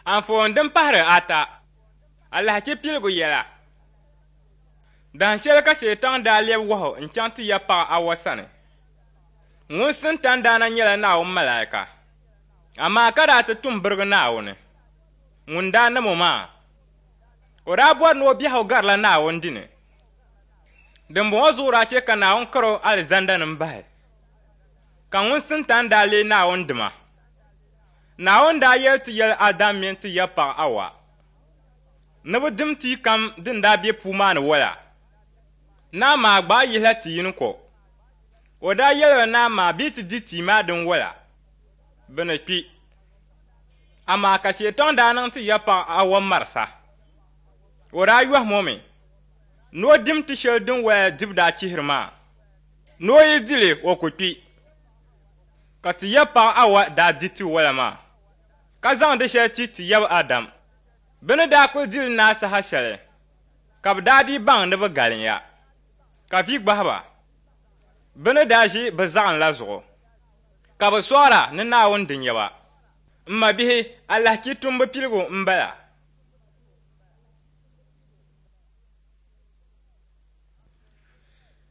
Anfooni din pahiri ata, Alahichi piligu yɛla. Dahin shɛli ka Seetaŋ daa lɛbi wahu n-chaŋ ti ya paɣ Awa sani. Ŋun Sintani daa na nyɛla Naawuni malaika, amaa ka daa ti tum birigi Naawuni ŋun daa nam o maa. O daa bɔri ni o biɛhigu garila Naawuni dini. Dimbɔŋɔ zuɣu daa chɛ ka Naawuni kar o alizanda ni m-bahi, ka ŋun Sintani daa leei Naawuni dima. Naawuni daa yɛli ti yɛli Adam mini ti ya paɣ Awa ni bɛ dim tia kam din daa be puu maa ni wala, ni amaa gbaai yihila ti yini ko. O daa yɛli ba ni amaa bɛ yi ti di tia maa din wala, bɛ ni kpi. Amaa ka Seetaŋ daa niŋ ti ya paɣ Awa marisa. O daa yɔhim o mi ni o dim ti shɛli din wala dibu daa chihiri maa, ni o yi di li o ku kpi. Ka ti yab paɣ Awa daa di tiwala maa, ka zaŋ di shɛli ti ti yab Adam. Bɛ ni daa kul di li naai saha shɛli, ka bɛ daa dii baŋ ni bɛ galinya, ka vi gbahi ba bɛ ni daa ʒi bɛ zaɣim la zuɣu, ka bɛ sɔɣira ni Naawuni di nya ba. M mabihi, alahichi tumbu piligu m-bala.